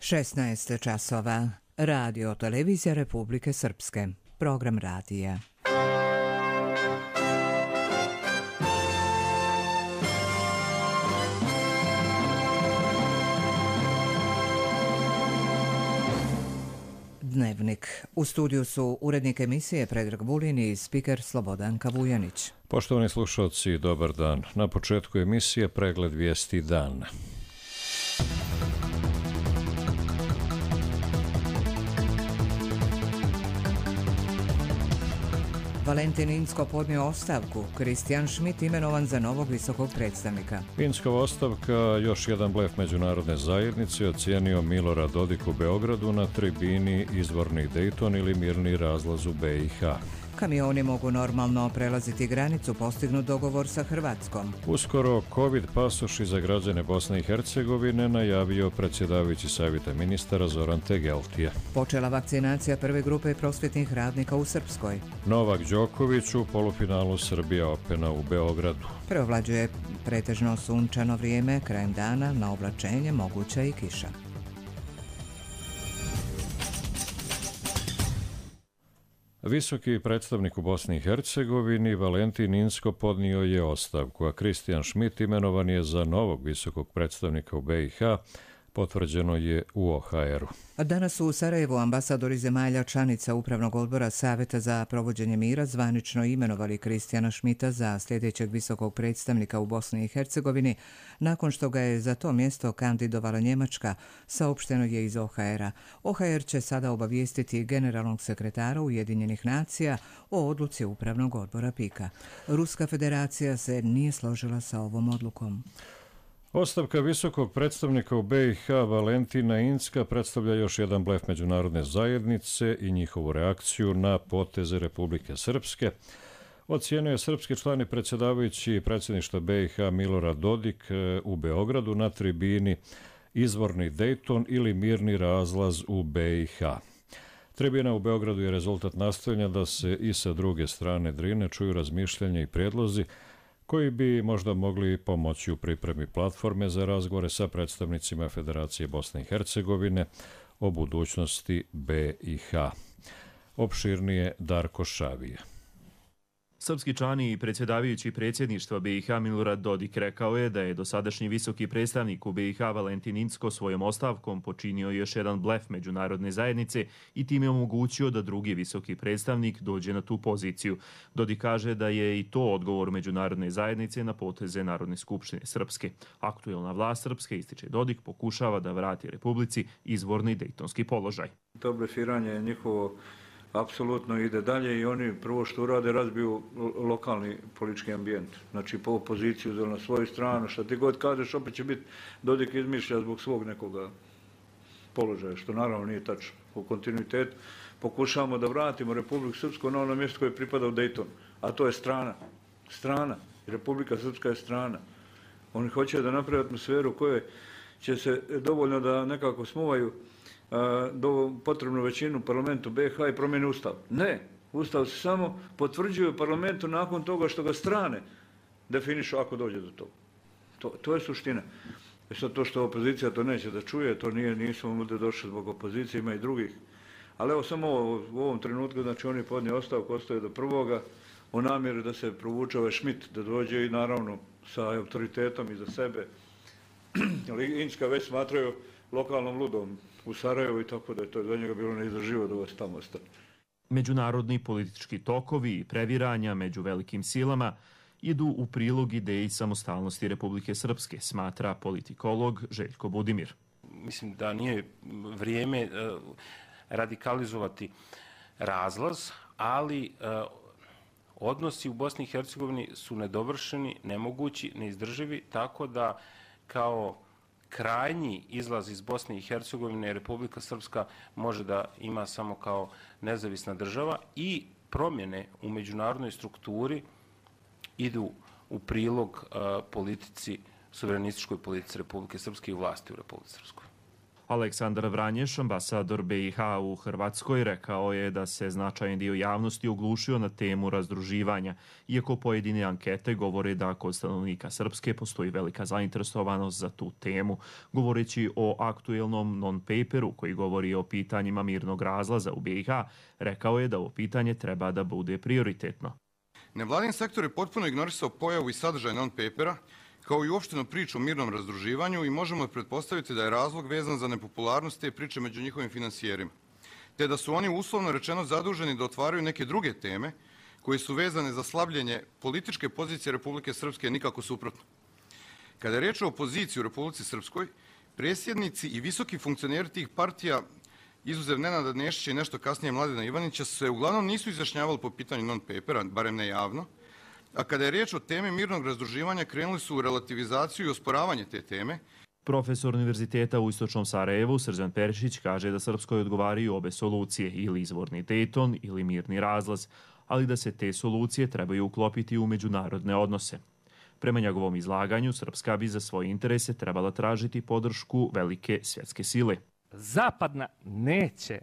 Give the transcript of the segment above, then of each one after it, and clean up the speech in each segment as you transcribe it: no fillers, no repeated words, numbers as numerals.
16 časova. Radio televizija Republike Srpske. Program radija. Dnevnik. U studiju su urednik emisije Predrag Vulin i spiker Slobodanka Vujanić. Poštovani slušalci, dobar dan. Na početku emisije pregled vijesti dana. Valentin Incko podnio ostavku. Kristijan Schmidt imenovan za novog visokog predstavnika. Inckova ostavka, još jedan blef međunarodne zajednice, ocijenio Milorad Dodik u Beogradu na tribini izvorni Dejton ili mirni razlaz u BiH. Kamioni mogu normalno prelaziti granicu, postignut dogovor sa Hrvatskom. Uskoro COVID pasoši za građane Bosne i Hercegovine najavio predsjedavajući savjeta ministara Zoran Tegeltije. Počela vakcinacija prve grupe prosvjetnih radnika u Srpskoj. Novak Đoković u polufinalu Srbija Opena u Beogradu. Preovlađuje pretežno sunčano vrijeme, krajem dana na oblačenje moguća i kiša. Visoki predstavnik u Bosni i Hercegovini Valentin Incko podnio je ostavku, a Kristijan Schmidt imenovan je za novog visokog predstavnika u BiH, potvrđeno je u OHR-u. Danas su u Sarajevu ambasadori zemalja članica Upravnog odbora Savjeta za provođenje mira zvanično imenovali Kristijana Schmidta za sljedećeg visokog predstavnika u Bosni i Hercegovini, nakon što ga je za to mjesto kandidovala Njemačka, saopšteno je iz OHR-a. OHR će sada obavijestiti generalnog sekretara Ujedinjenih nacija o odluci Upravnog odbora PIK-a. Ruska federacija se nije složila sa ovom odlukom. Ostavka visokog predstavnika u BiH Valentina Incka predstavlja još jedan blef međunarodne zajednice i njihovu reakciju na poteze Republike Srpske, ocijenio je srpski član i predsjedavajući predsjedništva BiH Milorad Dodik u Beogradu na tribini izvorni Dejton ili mirni razlaz u BiH. Tribina u Beogradu je rezultat nastojanja da se i sa druge strane Drine čuju razmišljanja i prijedlozi koji bi možda mogli pomoći u pripremi platforme za razgovore sa predstavnicima Federacije Bosne i Hercegovine o budućnosti BiH. Opširnije Darko Šavije. Srpski član i predsjedavajući predsjedništva BiH Milorad Dodik rekao je da je dosadašnji visoki predstavnik u BiH Valentin Incko svojom ostavkom počinio još jedan blef međunarodne zajednice i time omogućio da drugi visoki predstavnik dođe na tu poziciju. Dodik kaže da je i to odgovor međunarodne zajednice na poteze Narodne skupštine Srpske. Aktuelna vlast Srpske, ističe Dodik, pokušava da vrati Republici izvorni dejtonski položaj. To blefiranje je njihovo apsolutno ide dalje i oni prvo što urade razbiju lokalni politički ambijent. Znači po opoziciju na svoju stranu, što ti god kažeš opet će biti Dodik izmišlja zbog svog nekoga položaja, što naravno nije tačno. U kontinuitetu pokušavamo da vratimo Republiku Srpsku na ono mjesto koje pripada u Dejtonu, a to je strana. Strana. Republika Srpska je strana. Oni hoće da naprave atmosferu koje će se dovoljno da nekako smuvaju do potrebnu većinu u parlamentu BiH i promijeni ustav. Ne, ustav se samo potvrđuje u parlamentu nakon toga što ga strane definišu ako dođe do toga. To je suština. Sad to što opozicija to neće da čuje, to nismo ovdje došli zbog opozicije, ima i drugih. Ali evo samo u ovom trenutku, znači on je podnio ostavku, ostaje do prvoga, u namjeri da se provuče ovaj Schmidt, da dođe i naravno sa autoritetom iza sebe. Ali Incka već smatraju lokalnom ludom u Sarajevu i tako da je to za njega bilo neizdrživo da ovo tamo ostane. Međunarodni politički tokovi i previranja među velikim silama idu u prilog ideji samostalnosti Republike Srpske, smatra politikolog Željko Budimir. Mislim da nije vrijeme radikalizovati razlaz, ali odnosi u Bosni i Hercegovini su nedovršeni, nemogući, neizdrživi, tako da kao krajnji izlaz iz Bosne i Hercegovine Republika Srpska može da ima samo kao nezavisna država i promjene u međunarodnoj strukturi idu u prilog politici, suverenističkoj politici Republike Srpske i vlasti u Republike Srpskoj. Aleksandar Vranješ, ambasador BiH u Hrvatskoj, rekao je da se značajan dio javnosti oglušio na temu razdruživanja, iako pojedine ankete govore da kod stanovnika Srpske postoji velika zainteresovanost za tu temu. Govoreći o aktuelnom non-paperu koji govori o pitanjima mirnog razlaza u BiH, rekao je da ovo pitanje treba da bude prioritetno. Nevladin sektor je potpuno ignorisao pojavu i sadržaj non-papera, kao i uopštenu priču o mirnom razdruživanju i možemo pretpostaviti da je razlog vezan za nepopularnost te priče među njihovim finansijerima, te da su oni uslovno rečeno zaduženi da otvaraju neke druge teme koje su vezane za slabljenje političke pozicije Republike Srpske, nikako suprotno. Kada je riječ o opoziciji u Republici Srpskoj, presjednici i visoki funkcioneri tih partija, izuzev Nenada Nešića i nešto kasnije Mladena Ivanića, se uglavnom nisu izjašnjavali po pitanju non-papera, barem ne javno, a kada je riječ o temi mirnog razdruživanja, krenuli su u relativizaciju i osporavanje te teme. Profesor Univerziteta u Istočnom Sarajevu, Srđan Perišić, kaže da Srpskoj odgovaraju obe solucije, ili izvorni Dejton ili mirni razlaz, ali da se te solucije trebaju uklopiti u međunarodne odnose. Prema njegovom izlaganju, Srpska bi za svoje interese trebala tražiti podršku velike svjetske sile. Zapadna neće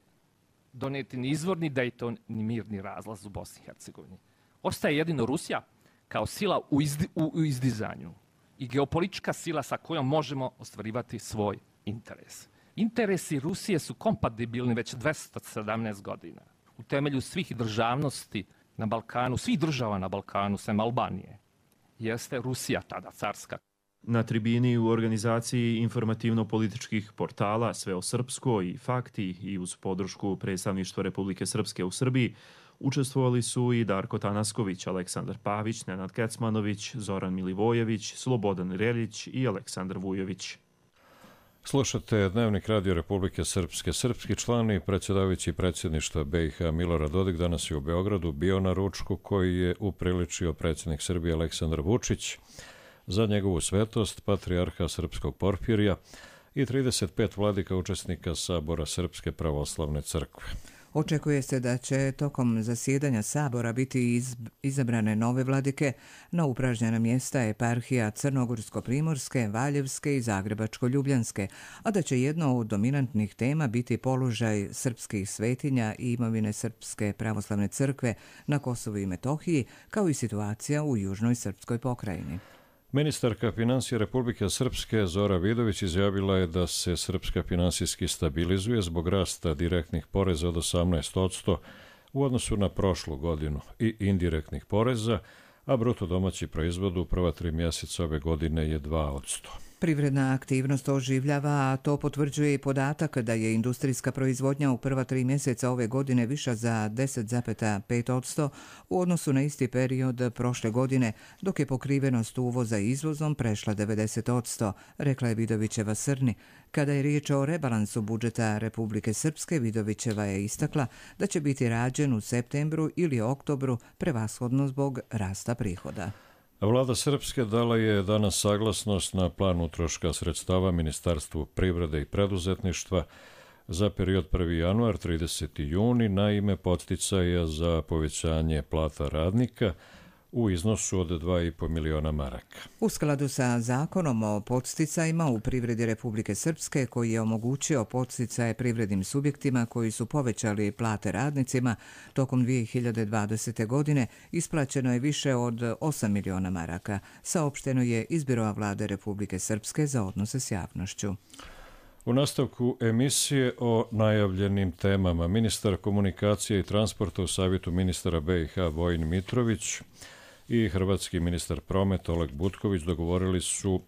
doneti ni izvorni Dejton ni mirni razlaz u Bosni i Hercegovini. Ostaje jedino Rusija kao sila u izdizanju i geopolitička sila sa kojom možemo ostvarivati svoj interes. Interesi Rusije su kompatibilni već 217 godina. U temelju svih državnosti na Balkanu, svih država na Balkanu, sem Albanije, jeste Rusija tada carska. Na tribini u organizaciji informativno-političkih portala Sve o Srpskoj i Fakti i uz podršku predstavništva Republike Srpske u Srbiji učestvovali su i Darko Tanasković, Aleksandar Pavić, Nenad Kecmanović, Zoran Milivojević, Slobodan Reljić i Aleksandar Vujović. Slušate Dnevnik Radio Republike Srpske. Srpski član i predsjedavajući predsjedništva BiH Milorad Dodik danas je u Beogradu bio na ručku koji je upriličio predsjednik Srbije Aleksandar Vučić za njegovu svetost, patrijarha Srpskog Porfirija i 35 vladika učesnika Sabora Srpske pravoslavne crkve. Očekuje se da će tokom zasjedanja Sabora biti izabrane nove vladike na upražnjena mjesta eparhija Crnogorsko-primorske, Valjevske i Zagrebačko-ljubljanske, a da će jedno od dominantnih tema biti položaj srpskih svetinja i imovine Srpske pravoslavne crkve na Kosovu i Metohiji, kao i situacija u južnoj srpskoj pokrajini. Ministarka financija Republike Srpske Zora Vidović izjavila je da se Srpska finansijski stabilizuje zbog rasta direktnih poreza od 18% u odnosu na prošlu godinu i indirektnih poreza, a bruto domaći proizvod u prva 3 mjeseca ove godine je 2%. Privredna aktivnost oživljava, a to potvrđuje i podatak da je industrijska proizvodnja u prva 3 mjeseca ove godine viša za 10,5% u odnosu na isti period prošle godine, dok je pokrivenost uvoza izvozom prešla 90%, rekla je Vidovićeva Srni. Kada je riječ o rebalansu budžeta Republike Srpske, Vidovićeva je istakla da će biti rađen u septembru ili oktobru, prevashodno zbog rasta prihoda. Vlada Srpske dala je danas saglasnost na plan utroška sredstava Ministarstvu privrede i preduzetništva za period 1. januar 30. juni na ime podsticaja za povećanje plata radnika u iznosu od 2,5 miliona maraka. U skladu sa zakonom o podsticajima u privredi Republike Srpske, koji je omogućio podsticaje privrednim subjektima koji su povećali plate radnicima, tokom 2020. godine isplaćeno je više od 8 miliona maraka, saopšteno je iz Biroa vlade Republike Srpske za odnose s javnošću. U nastavku emisije o najavljenim temama ministar komunikacije i transporta u savjetu ministara BiH Vojin Mitrović i hrvatski ministar prometa Oleg Butković dogovorili su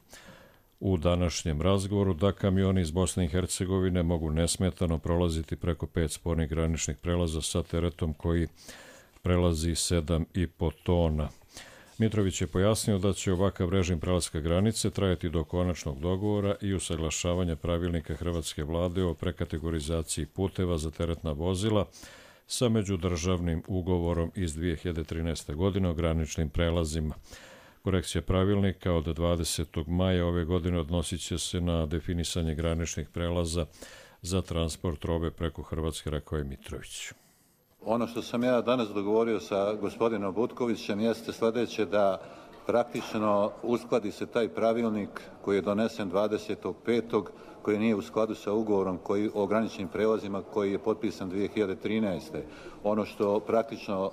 u današnjem razgovoru da kamioni iz Bosne i Hercegovine mogu nesmetano prolaziti preko 5 spornih graničnih prelaza sa teretom koji prelazi 7,5 tona. Mitrović je pojasnio da će ovakav režim prelaska granice trajati do konačnog dogovora i usaglašavanja pravilnika hrvatske vlade o prekategorizaciji puteva za teretna vozila sa međudržavnim ugovorom iz 2013. godine o graničnim prelazima. Korekcija pravilnika od 20. maja ove godine odnosit će se na definisanje graničnih prelaza za transport robe preko Hrvatske, rekao je Mitrović. Ono što sam ja danas dogovorio sa gospodinom Butkovićem jeste sljedeće, da praktično uskladi se taj pravilnik koji je donesen 25. koji nije u skladu sa ugovorom o graničnim prelazima koji je potpisan 2013. Ono što praktično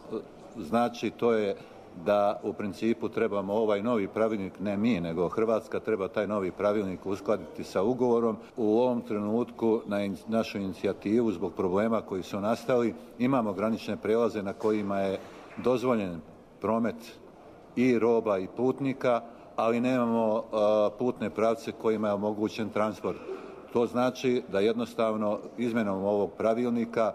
znači to je da u principu trebamo ovaj novi pravilnik, ne mi, nego Hrvatska treba taj novi pravilnik uskladiti sa ugovorom. U ovom trenutku na našu inicijativu zbog problema koji su nastali imamo granične prelaze na kojima je dozvoljen promet i roba i putnika, ali nemamo putne pravce kojima je omogućen transport. To znači da jednostavno izmjenom ovog pravilnika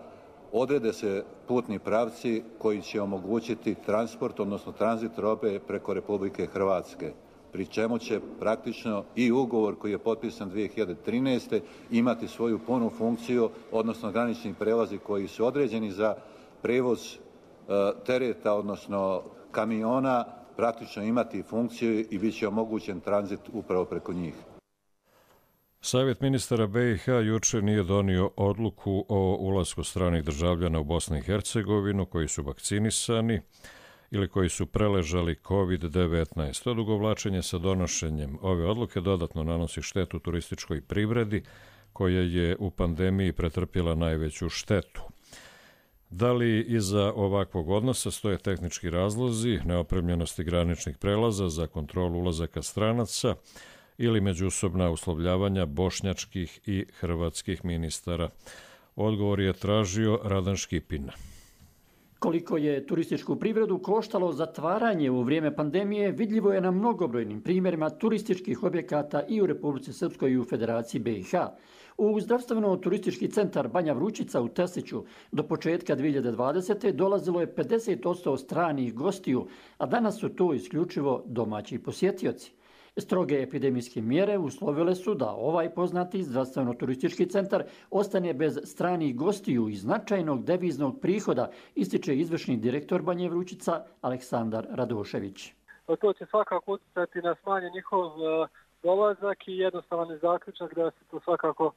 odrede se putni pravci koji će omogućiti transport, odnosno tranzit robe preko Republike Hrvatske, pri čemu će praktično i ugovor koji je potpisan 2013. imati svoju punu funkciju, odnosno granični prelazi koji su određeni za prevoz tereta, odnosno kamiona, praktično imati funkciju i bit će omogućen tranzit upravo preko njih. Savjet ministara BiH juče nije donio odluku o ulasku stranih državljana u Bosnu i Hercegovinu koji su vakcinisani ili koji su preležali COVID-19. Odugovlačenje sa donošenjem ove odluke dodatno nanosi štetu turističkoj privredi koja je u pandemiji pretrpjela najveću štetu. Da li iza ovakvog odnosa stoje tehnički razlozi, neopremljenosti graničnih prelaza za kontrolu ulazaka stranaca ili međusobna uslovljavanja bošnjačkih i hrvatskih ministara? Odgovor je tražio Radan Škipin. Koliko je turističku privredu koštalo zatvaranje u vrijeme pandemije, vidljivo je na mnogobrojnim primjerima turističkih objekata i u Republici Srpskoj i u Federaciji BiH. U zdravstveno-turistički centar Banja Vrućica u Tesiću do početka 2020. dolazilo je 50% stranih gostiju, a danas su to isključivo domaći posjetioci. Stroge epidemijske mjere uslovile su da ovaj poznati zdravstveno-turistički centar ostane bez stranih gostiju i značajnog deviznog prihoda, ističe izvršni direktor Banje Vrućica Aleksandar Radošević. To će svakako utjecati na smanjen njihov dolazak i jednostavan je zaključak da se to svakako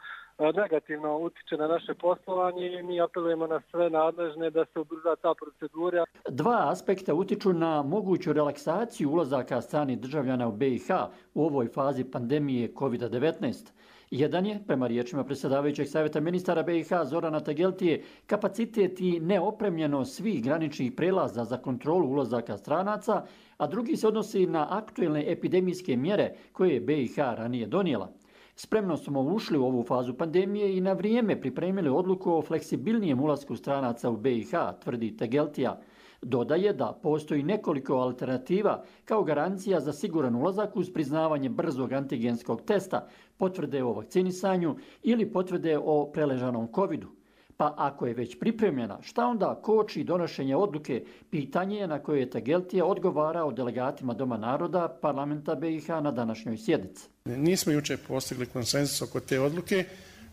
negativno utiče na naše poslovanje i mi apelujemo na sve nadležne da se ubrza ta procedura. Dva aspekta utiču na moguću relaksaciju ulazaka stranih državljana u BiH u ovoj fazi pandemije COVID-19. Jedan je, prema riječima predsjedavajućeg savjeta ministara BiH Zorana Tegeltije, kapacitet i neopremljenost svih graničnih prelaza za kontrolu ulazaka stranaca, a drugi se odnosi na aktuelne epidemijske mjere koje je BiH ranije donijela. Spremno smo ušli u ovu fazu pandemije i na vrijeme pripremili odluku o fleksibilnijem ulasku stranaca u BiH, tvrdi Tegeltija. Dodaje da postoji nekoliko alternativa kao garancija za siguran ulazak uz priznavanje brzog antigenskog testa, potvrde o vakcinisanju ili potvrde o preležanom covidu. Pa ako je već pripremljena, šta onda koči donošenje odluke? Pitanje je na koje je Tegeltija odgovarao delegatima Doma naroda parlamenta BiH na današnjoj sjednici. Nismo jučer postigli konsenzus oko te odluke.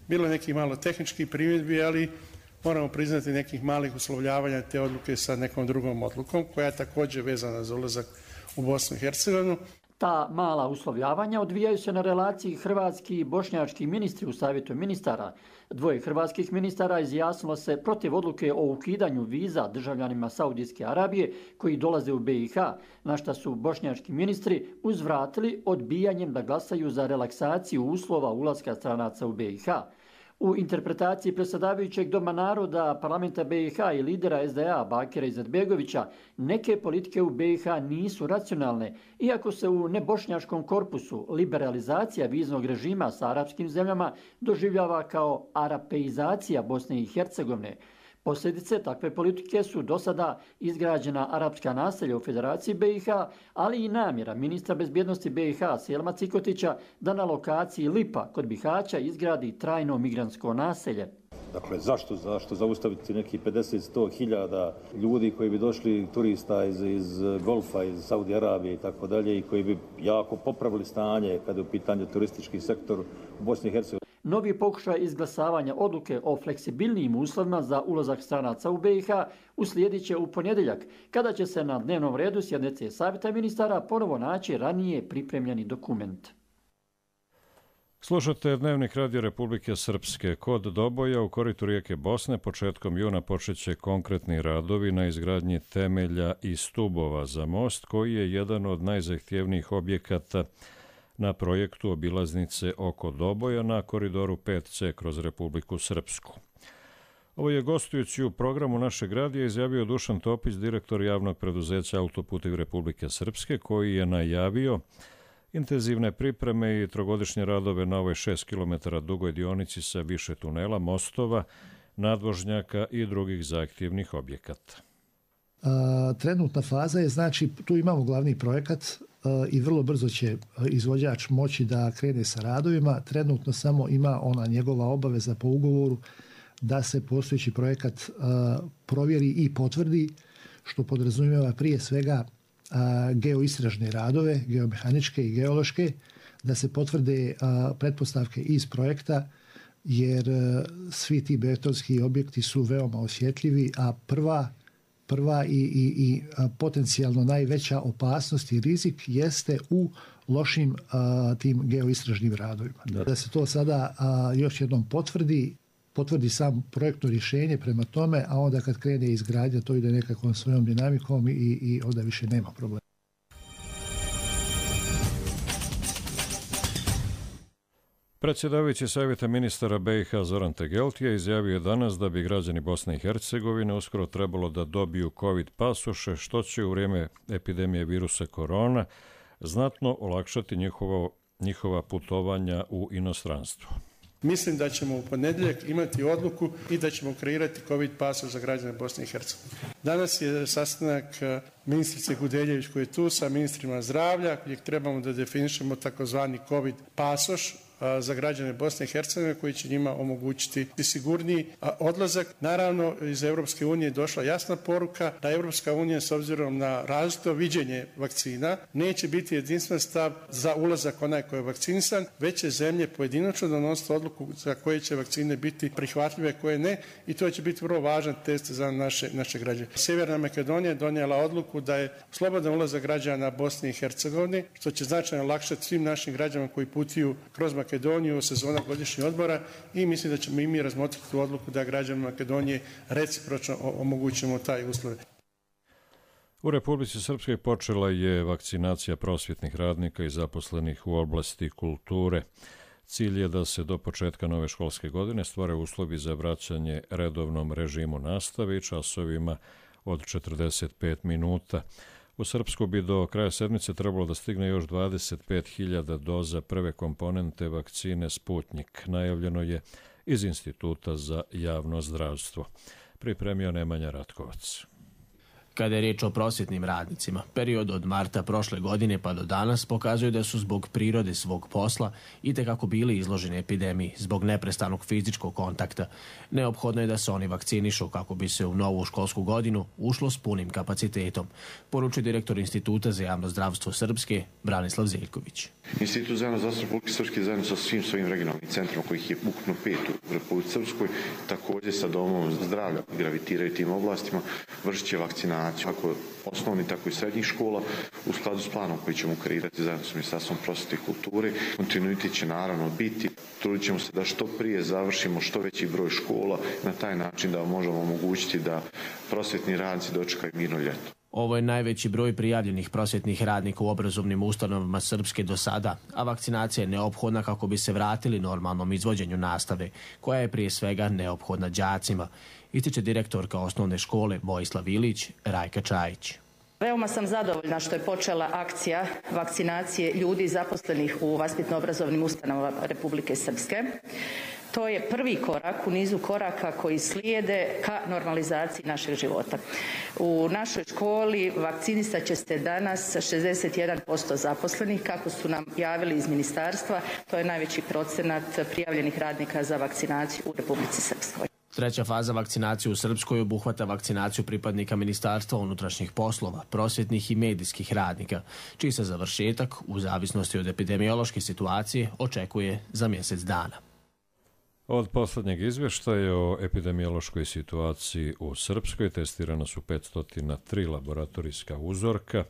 Bilo je nekih malo tehničkih primjedbi, ali moramo priznati nekih malih uslovljavanja te odluke sa nekom drugom odlukom koja je također vezana za ulazak u Bosnu i Hercegovinu. Ta mala uslovljavanja odvijaju se na relaciji hrvatski i bošnjački ministri u savjetu ministara. Dvoje hrvatskih ministara izjasnilo se protiv odluke o ukidanju viza državljanima Saudijske Arabije koji dolaze u BiH, na šta su bošnjački ministri uzvratili odbijanjem da glasaju za relaksaciju uslova ulaska stranaca u BiH. U interpretaciji predsjedavajućeg Doma naroda parlamenta BiH i lidera SDA Bakira Izetbegovića, neke politike u BiH nisu racionalne, iako se u nebošnjačkom korpusu liberalizacija viznog režima sa arapskim zemljama doživljava kao arapeizacija Bosne i Hercegovine. Posljedice takve politike su do sada izgrađena arapska naselja u Federaciji BiH, ali i namjera ministra bezbjednosti BiH Selma Cikotića da na lokaciji Lipa kod Bihaća izgradi trajno migrantsko naselje. Dakle, zašto zaustaviti neki 50-100 hiljada ljudi koji bi došli, turista iz Golfa, iz Saudi Arabije i tako dalje, i koji bi jako popravili stanje kada je u pitanju turistički sektor u Bosni i Hercegovini. Novi pokušaj izglasavanja odluke o fleksibilnijim uslovima za ulazak stranaca u BiH uslijedit će u ponedjeljak, kada će se na dnevnom redu sjednice savjeta ministara ponovo naći ranije pripremljeni dokument. Slušate Dnevnik Radio Republike Srpske. Kod Doboja u koritu rijeke Bosne početkom juna počeće konkretni radovi na izgradnji temelja i stubova za most, koji je jedan od najzahtjevnijih objekata na projektu obilaznice oko Doboja na koridoru 5C kroz Republiku Srpsku. Ovo je gostujući u programu našeg radija izjavio Dušan Topić, direktor javnog preduzeća Autoputevi Republike Srpske, koji je najavio intenzivne pripreme i trogodišnje radove na ovoj 6 km dugoj dionici sa više tunela, mostova, nadvožnjaka i drugih zahtjevnih objekata. Trenutna faza je, znači, tu imamo glavni projekat i vrlo brzo će izvođač moći da krene sa radovima. Trenutno samo ima ona njegova obaveza po ugovoru da se postojeći projekat provjeri i potvrdi, što podrazumijeva prije svega geoistražne radove, geomehaničke i geološke, da se potvrde pretpostavke iz projekta, jer svi ti betonski objekti su veoma osjetljivi, a prva i potencijalno najveća opasnost i rizik jeste u lošim tim geoistražnim radovima. Da se to sada još jednom potvrdi sam projektno rješenje prema tome, a onda kad krene izgradnja to ide nekakvom svojom dinamikom i onda više nema problema. Predsjedavajući Savjeta ministara BiH Zoran Tegeltija izjavio je danas da bi građani Bosne i Hercegovine uskoro trebalo da dobiju COVID pasoše, što će u vrijeme epidemije virusa korona znatno olakšati njihova putovanja u inostranstvo. Mislim da ćemo u ponedjeljak imati odluku i da ćemo kreirati COVID pasoš za građane Bosne i Hercegovine. Danas je sastanak ministrice Gudeljević koji je tu sa ministrima zdravlja, gdje trebamo da definišemo takozvani COVID pasoš za građane Bosne i Hercegovine koji će njima omogućiti sigurniji odlazak. Naravno, iz Europske unije je došla jasna poruka da Europska unija s obzirom na različito viđenje vakcina neće biti jedinstven stav za ulazak onaj koji je vakcinisan, već će zemlje pojedinačno donositi odluku za koje će vakcine biti prihvatljive, koje ne, i to će biti vrlo važan test za naše građane. Sjeverna Makedonija je donijela odluku da je slobodan ulazak građana Bosne i Hercegovine, što će značajno olakšati svim našim građanima koji putuju kroz Makedoniju u sezona godišnjih odmora, i mislim da ćemo i mi razmotriti tu odluku da građanima Makedonije recipročno omogućimo taj uslov. U Republici Srpskoj počela je vakcinacija prosvjetnih radnika i zaposlenih u oblasti kulture. Cilj je da se do početka nove školske godine stvore uslovi za vraćanje redovnom režimu nastave i časovima od 45 minuta. U Srpsku bi do kraja sedmice trebalo da stigne još 25.000 doza prve komponente vakcine Sputnik. Najavljeno je iz Instituta za javno zdravstvo. Pripremio Nemanja Ratkovac. Kada je riječ o prosvjetnim radnicima, period od marta prošle godine pa do danas pokazuje da su zbog prirode svog posla itekako bili izloženi epidemiji zbog neprestanog fizičkog kontakta. Neophodno je da se oni vakcinišu kako bi se u novu školsku godinu ušlo s punim kapacitetom, poručuje direktor Instituta za javno zdravstvo Srpske, Branislav Zeljković. Institut za javno zdravstvo Republike Srpske zajedno sa svim svojim regionalnim centrima, kojih je ukupno 5 u Republici Srpskoj, također sa domom zdravlja gravitiraju tim oblastima, vršit će vakcinaciju kako osnovni, tako i srednjih škola u skladu s planom koji ćemo kreirati zajedno s Ministarstvom prosvjete i kulture. Kontinuitet će naravno biti, trudit ćemo se da što prije završimo što veći broj škola, na taj način da možemo omogućiti da prosvjetni radnici dočekaju mirno ljeto. Ovo je najveći broj prijavljenih prosvjetnih radnika u obrazovnim ustanovama Srpske do sada, a vakcinacija je neophodna kako bi se vratili normalnom izvođenju nastave, koja je prije svega neophodna đacima, ističe direktorka osnovne škole Vojislav Ilić, Rajka Čajić. Veoma sam zadovoljna što je počela akcija vakcinacije ljudi zaposlenih u vaspitno-obrazovnim ustanovama Republike Srpske. To je prvi korak u nizu koraka koji slijede ka normalizaciji našeg života. U našoj školi vakcinisat će se danas 61% zaposlenih, kako su nam javili iz ministarstva. To je najveći procenat prijavljenih radnika za vakcinaciju u Republici Srpskoj. Treća faza vakcinacije u Srpskoj obuhvata vakcinaciju pripadnika Ministarstva unutrašnjih poslova, prosvjetnih i medijskih radnika, čiji se završetak, u zavisnosti od epidemiološke situacije, očekuje za mjesec dana. Od posljednjeg izvještaja o epidemiološkoj situaciji u Srpskoj testirana su 503 laboratorijska uzorka,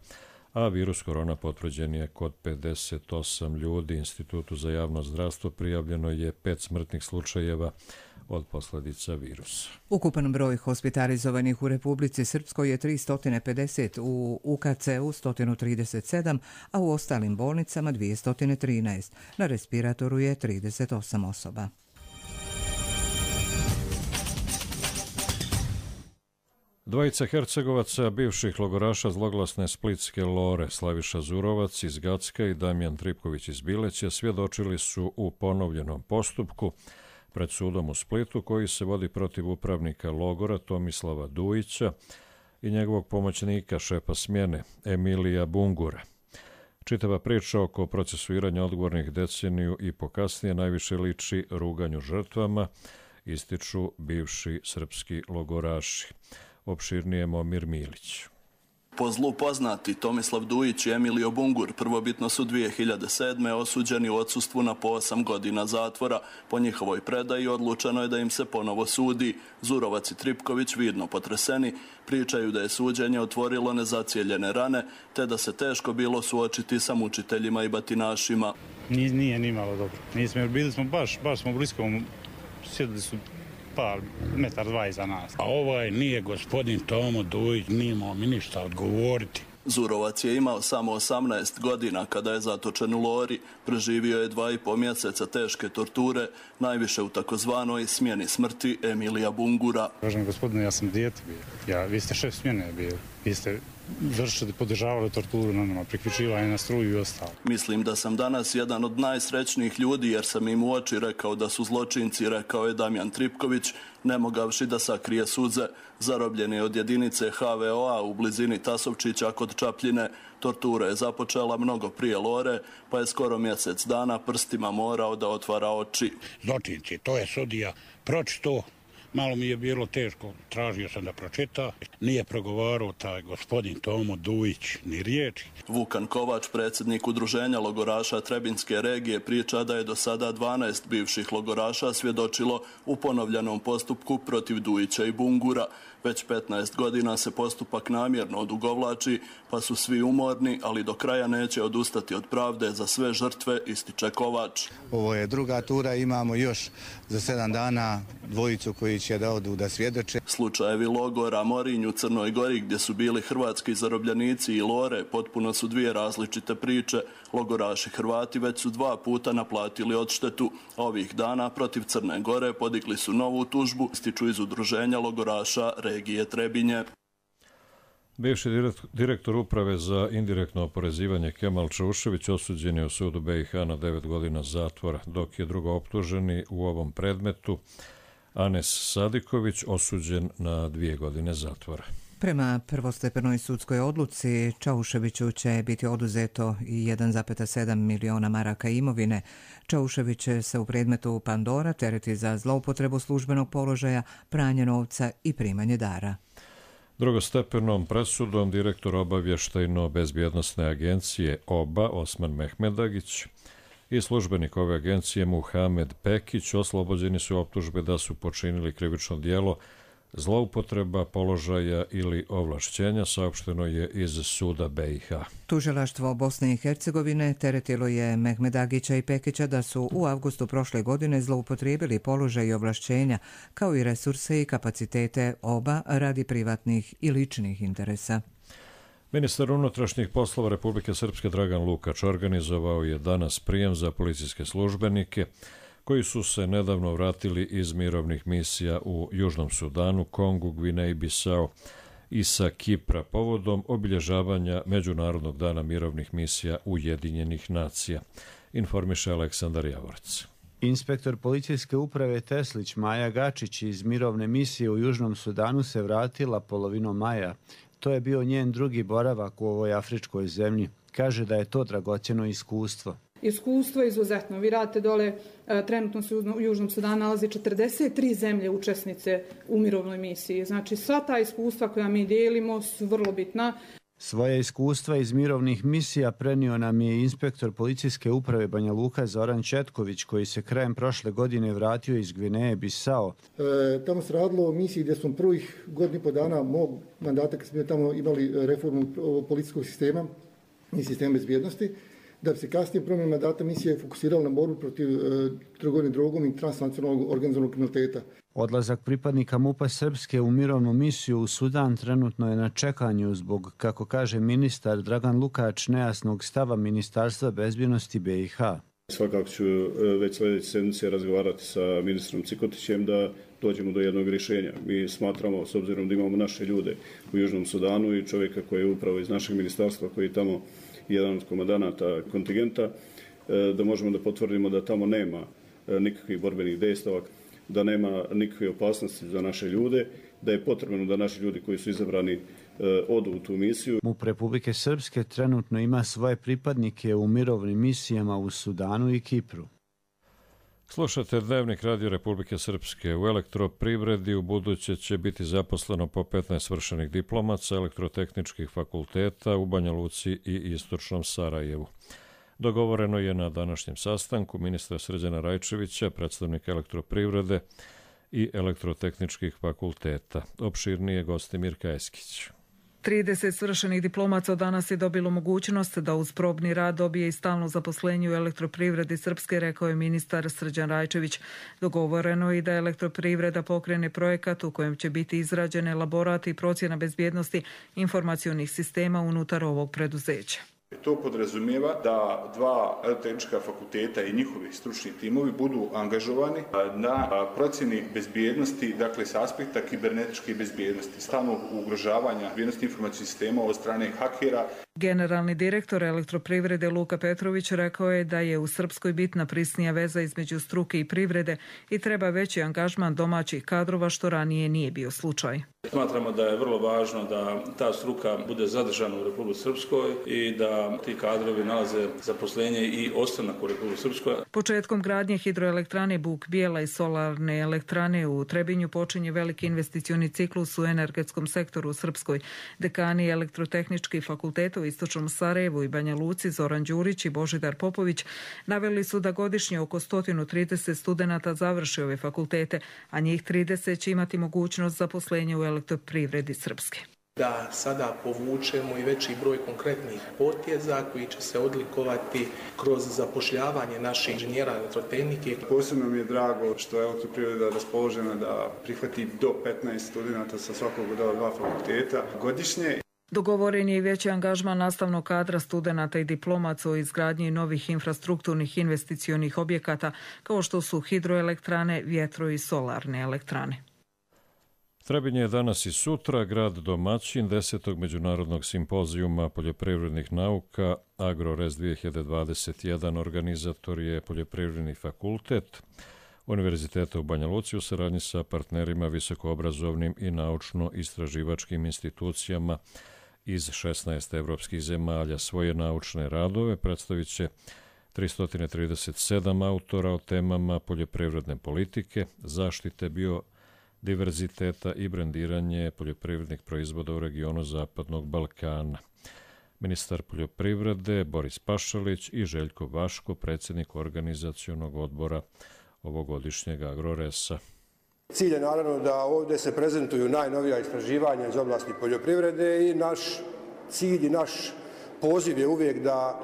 a virus korona potvrđen je kod 58 ljudi. Institutu za javno zdravstvo prijavljeno je 5 smrtnih slučajeva od posljedica virusa. Ukupan broj hospitalizovanih u Republici Srpskoj je 350, u UKC-u 137, a u ostalim bolnicama 213. Na respiratoru je 38 osoba. Dvojica Hercegovaca, bivših logoraša zloglasne splitske Lore, Slaviša Zurovac iz Gacka i Damjan Tripković iz Bileća, svjedočili su u ponovljenom postupku pred sudom u Splitu, koji se vodi protiv upravnika logora Tomislava Dujića i njegovog pomoćnika, šefa smjene, Emilija Bungura. Čitava priča oko procesuiranja odgovornih deceniju i pokasnije najviše liči ruganju žrtvama, ističu bivši srpski logoraši. Opširnije Momir Milić. Po zlu poznati Tomislav Dujić i Emilio Bungur prvobitno su 2007. osuđeni u odsustvu na po 8 godina zatvora. Po njihovoj predaji odlučeno je da im se ponovo sudi. Zurovac i Tripković, vidno potreseni, pričaju da je suđenje otvorilo nezacijeljene rane, te da se teško bilo suočiti sa mučiteljima i batinašima. Nije ni malo dobro. Nismo, bili smo baš smo blisko, sjedili su par metar, dva iza nas. A ovaj nije gospodin Tomo Dujić, nije imao mi ništa odgovoriti. Zurovac je imao samo 18 godina kada je zatočen u Lori. Preživio je 2,5 mjeseca teške torture, najviše u takozvanoj smjeni smrti Emilija Bungura. Kažem, gospodine, ja sam dijete bio. Vi ste šef smjene bio. Vi ste podržavali torturu na nama, priključivanje na struju i ostalo. Mislim da sam danas jedan od najsrećnijih ljudi jer sam im u oči rekao da su zločinci, rekao je Damjan Tripković, ne mogavši da sakrije suze. Zarobljen je od jedinice HVO-a u blizini Tasovčića kod Čapljine. Tortura je započela mnogo prije Lore, pa je skoro mjesec dana prstima morao da otvara oči. Zločinci, to je sudija pročito. Malo mi je bilo teško, tražio sam da pročita. Nije progovarao taj gospodin Tomo Dujić ni riječi. Vukan Kovač, predsjednik udruženja logoraša Trebinske regije, priča da je do sada 12 bivših logoraša svjedočilo u ponovljenom postupku protiv Dujića i Bungura. Već 15 godina se postupak namjerno odugovlači, pa su svi umorni, ali do kraja neće odustati od pravde za sve žrtve, ističe Kovač. Ovo je druga tura, imamo još za 7 dana dvojicu koji će da odu da svjedoče. Slučajevi logora Morinj u Crnoj Gori, gdje su bili hrvatski zarobljenici, i Lore potpuno su dvije različite priče. Logoraši Hrvati već su 2 puta naplatili odštetu. Ovih dana protiv Crne Gore podigli su novu tužbu, ističu iz udruženja logoraša regije Trebinje. Bivši direktor uprave za indirektno oporezivanje Kemal Čaušević osuđen je u sudu BiH na 9 godina zatvora, dok je drugo optuženi u ovom predmetu Anes Sadiković osuđen na 2 godine zatvora. Prema prvostepenoj sudskoj odluci, Čauševiću će biti oduzeto i 1,7 miliona maraka imovine. Čaušević će se u predmetu Pandora tereti za zloupotrebu službenog položaja, pranje novca i primanje dara. Drugostepenom presudom direktor obavještajno-bezbjednosne agencije OBA Osman Mehmedagić i službenik ove agencije Muhamed Pekić oslobođeni su optužbe da su počinili krivično djelo zloupotreba položaja ili ovlašćenja, saopšteno je iz suda BiH. Tužilaštvo Bosne i Hercegovine teretilo je Mehmedagića i Pekića da su u avgustu prošle godine zloupotrijebili položaj i ovlašćenja, kao i resurse i kapacitete OBA radi privatnih i ličnih interesa. Ministar unutrašnjih poslova Republike Srpske Dragan Lukač organizovao je danas prijem za policijske službenike koji su se nedavno vratili iz mirovnih misija u Južnom Sudanu, Kongu, Gvineji, Bisao i sa Kipra povodom obilježavanja Međunarodnog dana mirovnih misija Ujedinjenih nacija, informiše Aleksandar Javorac. Inspektor policijske uprave Teslić Maja Gačić iz mirovne misije u Južnom Sudanu se vratila polovinom maja. To je bio njen drugi boravak u ovoj afričkoj zemlji. Kaže da je to dragocjeno iskustvo. Iskustvo je izuzetno. Vi radite dole, trenutno se u Južnom Sudanu nalazi 43 zemlje učesnice u mirovnoj misiji. Znači sva ta iskustva koja mi dijelimo su vrlo bitna. Svoje iskustva iz mirovnih misija prenio nam je inspektor policijske uprave Banja Luka Zoran Četković, koji se krajem prošle godine vratio iz Gvineje Bisao. Tamo se radilo o misiji gdje smo prvih godinu i po dana mog mandata, kad smo tamo imali reformu policijskog sistema, i sistema bezbjednosti, da bi se kasnije promjena mandata misije fokusirala na borbu protiv trgovine drogom i transnacionalnog organizovanog kriminaliteta. Odlazak pripadnika MUP-a Srpske u mirovnu misiju u Sudan trenutno je na čekanju zbog, kako kaže ministar Dragan Lukač, nejasnog stava Ministarstva bezbjednosti BiH. Svakako ću već sljedeće sedmice razgovarati sa ministrom Cikotićem da dođemo do jednog rješenja. Mi smatramo, s obzirom da imamo naše ljude u Južnom Sudanu i čovjeka koji je upravo iz našeg ministarstva, koji je tamo jedan od komandanata kontingenta, da možemo da potvrdimo da tamo nema nikakvih borbenih dejstava, da nema nikakve opasnosti za naše ljude, da je potrebno da naši ljudi koji su izabrani odu u tu misiju. MUP Republike Srpske trenutno ima svoje pripadnike u mirovnim misijama u Sudanu i Kipru. Slušate Dnevnik Radio Republike Srpske. U elektroprivredi u buduće će biti zaposleno po 15 svršenih diplomaca elektrotehničkih fakulteta u Banja Luci i istočnom Sarajevu. Dogovoreno je na današnjem sastanku ministra Srđana Rajčevića, predstavnika elektroprivrede i elektrotehničkih fakulteta. Opširnije Gostimir Kajeskić. 30 svršenih diplomaca danas je dobilo mogućnost da uz probni rad dobije i stalno zaposlenje u elektroprivredi Srpske, rekao je ministar Srđan Rajčević. Dogovoreno je i da elektroprivreda pokrene projekat u kojem će biti izrađen elaborat i procjena bezbjednosti informacionih sistema unutar ovog preduzeća. To podrazumijeva da dva elektrotehnička fakulteta i njihovi stručni timovi budu angažovani na procjeni bezbjednosti, dakle s aspekta kibernetičke bezbjednosti, stalnog ugrožavanja bezbjednosti informacijskih sistema od strane hakera. Generalni direktor elektroprivrede Luka Petrović rekao je da je u Srpskoj bitna prisnija veza između struke i privrede i treba veći angažman domaćih kadrova, što ranije nije bio slučaj. Smatramo da je vrlo važno da ta struka bude zadržana u Republici Srpskoj i da ti kadrovi nalaze zaposlenje i ostanak u Republici Srpskoj. Početkom gradnje hidroelektrane Buk Bijela i solarne elektrane u Trebinju počinje veliki investicioni ciklus u energetskom sektoru u Srpskoj. Dekani elektrotehničkih fakulteta u istočnom Sarajevu i Banja Luci Zoran Đurić i Božidar Popović naveli su da godišnje oko 130 studenata završi ove fakultete, a njih 30 će imati mogućnost zaposlenja u elektroprivredi Srpske. Da sada povučemo i veći broj konkretnih poteza koji će se odlikovati kroz zapošljavanje naših inženjera elektrotehnike. Posebno mi je drago što je elektroprivreda raspoložena da prihvati do 15 studenata sa svakog od ova dva fakulteta godišnje. Dogovoren je i veći angažman nastavnog kadra studenata i diplomaca o izgradnji novih infrastrukturnih investicionih objekata kao što su hidroelektrane, vjetro i solarne elektrane. Trebinje je danas i sutra grad domaćin 10. međunarodnog simpozijuma poljoprivrednih nauka AgroRez 2021. Organizator je Poljoprivredni fakultet Univerziteta u Banja Luci u saradnji sa partnerima visokoobrazovnim i naučno-istraživačkim institucijama iz 16 evropskih zemalja. Svoje naučne radove predstavit će 337 autora o temama poljoprivredne politike, zaštite biodiverziteta i brendiranje poljoprivrednih proizvoda u regionu Zapadnog Balkana. Ministar poljoprivrede Boris Pašalić i Željko Vaško, predsjednik organizacionog odbora ovogodišnjeg AgroResa. Cilj je naravno da ovdje se prezentuju najnovija istraživanja iz oblasti poljoprivrede i naš cilj i naš poziv je uvijek da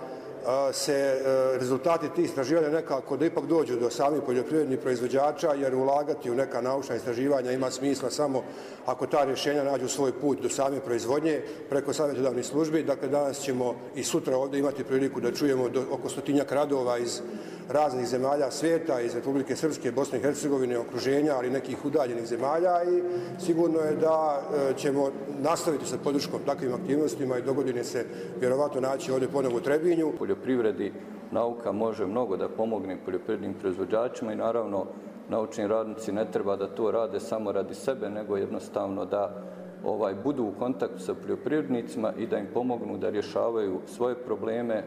se rezultati tih istraživanja nekako da ipak dođu do samih poljoprivrednih proizvođača, jer ulagati u neka naučna istraživanja ima smisla samo ako ta rješenja nađu svoj put do same proizvodnje preko savjetodavnih službi. Dakle, danas ćemo i sutra ovdje imati priliku da čujemo oko 100-tinjak radova iz raznih zemalja svijeta, iz Republike Srpske, Bosne i Hercegovine, okruženja, ali nekih udaljenih zemalja i sigurno je da ćemo nastaviti sa podrškom takvim aktivnostima i dogodine se vjerovatno naći ovdje ponovo u Trebinju. Poljoprivredi nauka može mnogo da pomogne poljoprivrednim proizvođačima i naravno naučni radnici ne treba da to rade samo radi sebe, nego jednostavno da budu u kontaktu sa poljoprivrednicima i da im pomognu da rješavaju svoje probleme.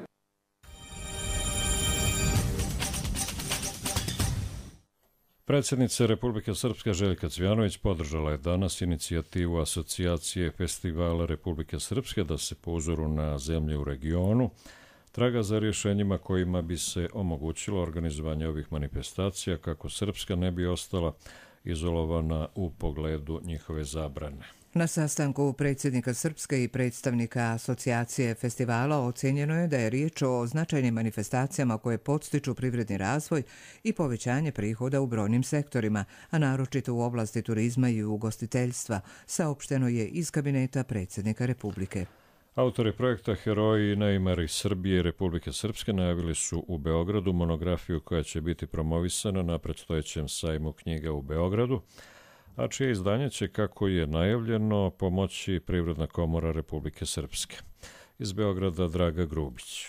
Predsjednica Republike Srpske Željka Cvjanović podržala je danas inicijativu Asocijacije festivala Republike Srpske da se po uzoru na zemlje u regionu traga za rješenjima kojima bi se omogućilo organizovanje ovih manifestacija kako Srpska ne bi ostala izolovana u pogledu njihove zabrane. Na sastanku predsjednika Srpske i predstavnika asocijacije festivala ocjenjeno je da je riječ o značajnim manifestacijama koje podstiču privredni razvoj i povećanje prihoda u brojnim sektorima, a naročito u oblasti turizma i ugostiteljstva, saopšteno je iz kabineta predsjednika Republike. Autori projekta Heroji i neimari Srbije i Republike Srpske najavili su u Beogradu monografiju koja će biti promovisana na predstojećem sajmu knjiga u Beogradu, a čije izdanje će, kako je najavljeno, pomoći Privredna komora Republike Srpske. Iz Beograda Draga Grubić.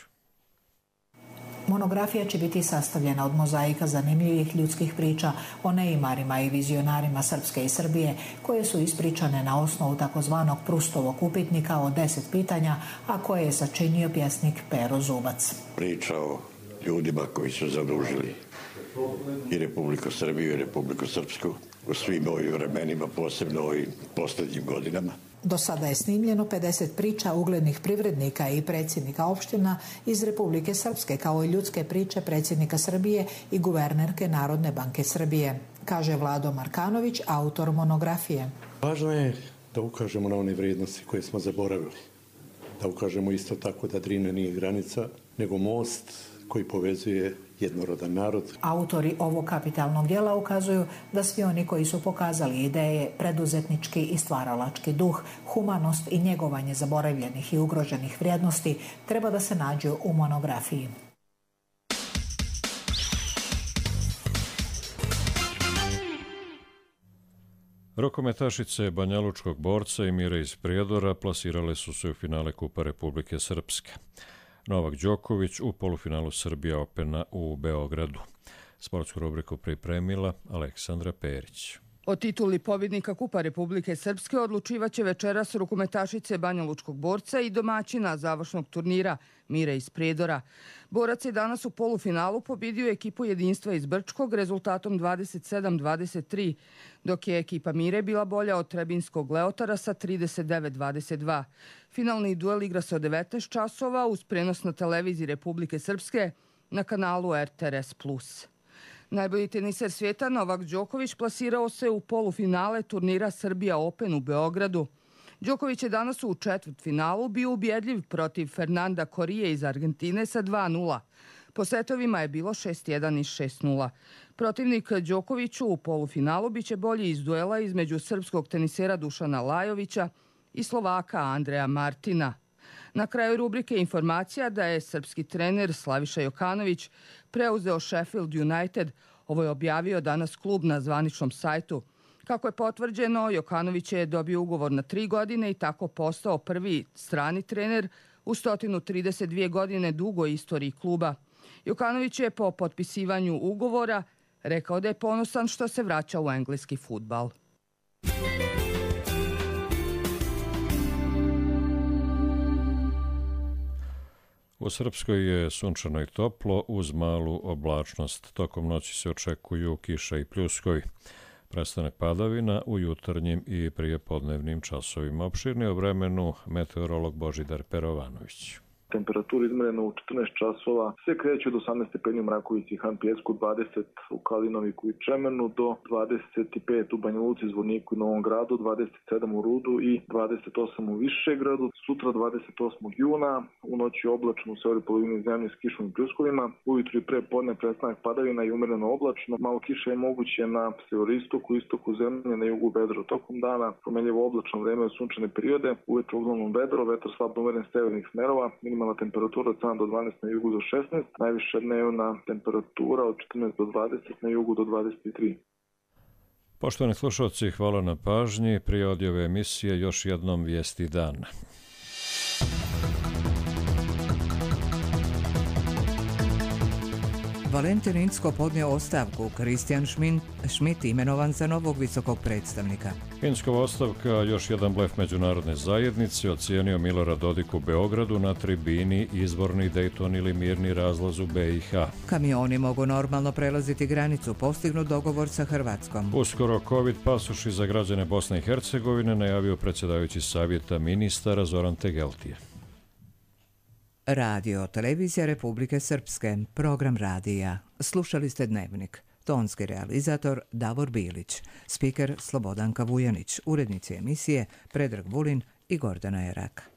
Monografija će biti sastavljena od mozaika zanimljivih ljudskih priča o neimarima i vizionarima Srpske i Srbije, koje su ispričane na osnovu takozvanog Prustovog upitnika o 10 pitanja, a koje je sačinio pjesnik Pero Zubac. Priča o ljudima koji su zadužili i Republiku Srbiju i Republiku Srpsku u svim ovim vremenima, posebno ovim posljednjim godinama. Do sada je snimljeno 50 priča uglednih privrednika i predsjednika opština iz Republike Srpske, kao i ljudske priče predsjednika Srbije i guvernerke Narodne banke Srbije, kaže Vlado Markanović, autor monografije. Važno je da ukažemo na one vrijednosti koje smo zaboravili. Da ukažemo isto tako da Drina nije granica, nego most koji povezuje jednorodan narod. Autori ovog kapitalnog djela ukazuju da svi oni koji su pokazali ideje, preduzetnički i stvaralački duh, humanost i njegovanje zaboravljenih i ugroženih vrijednosti treba da se nađu u monografiji. Rukometašice Banjalučkog borca i Mire iz Prijedora plasirale su se u finale Kupa Republike Srpske. Novak Đoković u polufinalu Srbija Opena u Beogradu. Sportsku rubriku pripremila Aleksandra Perić. O tituli pobjednika Kupa Republike Srpske odlučivaće večeras rukometašice Banjalučkog borca i domaćina završnog turnira Mire iz Prijedora. Borac je danas u polufinalu pobjedio ekipu Jedinstva iz Brčkog rezultatom 27-23, dok je ekipa Mire bila bolja od Trebinskog Leotara sa 39-22. Finalni duel igra se od 19 časova uz prenos na televiziji Republike Srpske na kanalu RTRS+. Najbolji teniser svijeta Novak Đoković plasirao se u polufinale turnira Srbija Open u Beogradu. Đoković je danas u četvrtfinalu bio ubjedljiv protiv Fernanda Korije iz Argentine sa 2-0. Po setovima je bilo 6-1 i 6-0. Protivnik Đokoviću u polufinalu biće bolji iz duela između srpskog tenisera Dušana Lajovića i Slovaka Andreja Martina. Na kraju rubrike informacija da je srpski trener Slaviša Jokanović preuzeo Sheffield United. Ovo je objavio danas klub na zvaničnom sajtu. Kako je potvrđeno, Jokanović je dobio ugovor na 3 godine i tako postao prvi strani trener u 132 godine dugoj istoriji kluba. Jokanović je po potpisivanju ugovora rekao da je ponosan što se vraća u engleski fudbal. U Srpskoj je sunčano i toplo uz malu oblačnost. Tokom noći se očekuju kiša i pljuskovi. Prestanak padavina u jutarnjim i prijepodnevnim časovima. Opširnije o vremenu meteorolog Božidar Perovanović. Temperatura izmjerena u 14 časova se kreće od 18 stepeni u Mrakovici i Han Pijesku, 20 u Kalinoviku i Čemenu, do 25 u Banja Luci, Zvorniku i Novom Gradu, 27 u Rudu i 28 u Višegradu. Sutra 28. juna, u noći oblačno u severoj polovini zemlje s kišom i pljuskovima. Ujutru i pre podne prestanak padavina i umjereno oblačno. Malo kiše je moguće na severistoku, istoku zemlje, na jugu vedro. Tokom dana promenljivo oblačno vreme u sunčane periode, ujutru uglavnom vedro, vetar slabno umjeren severnih smerova. Minimalna temperatura od 7 do 12 na jugu do 16, najviša dnevna temperatura od 14 do 20, na jugu do 23. Poštovani slušalci, hvala na pažnji. Prije odjave emisije još jednom vijesti dana. Valentin Incko podnio ostavku, Kristijan Schmidt imenovan za novog visokog predstavnika. Inckova ostavka, još jedan blef međunarodne zajednice, ocijenio Milorad Dodik u Beogradu na tribini izborni Dejton ili mirni razlaz u BiH. Kamioni mogu normalno prelaziti granicu, postignut dogovor sa Hrvatskom. Uskoro COVID pasoši za građane Bosne i Hercegovine najavio predsjedavajući savjeta ministara Zoran Tegeltije. Radio, televizija Republike Srpske, program radija. Slušali ste Dnevnik. tonski realizator Davor Bilić, spiker Slobodanka Vujanić, urednici emisije Predrag Vulin i Gordana Erak.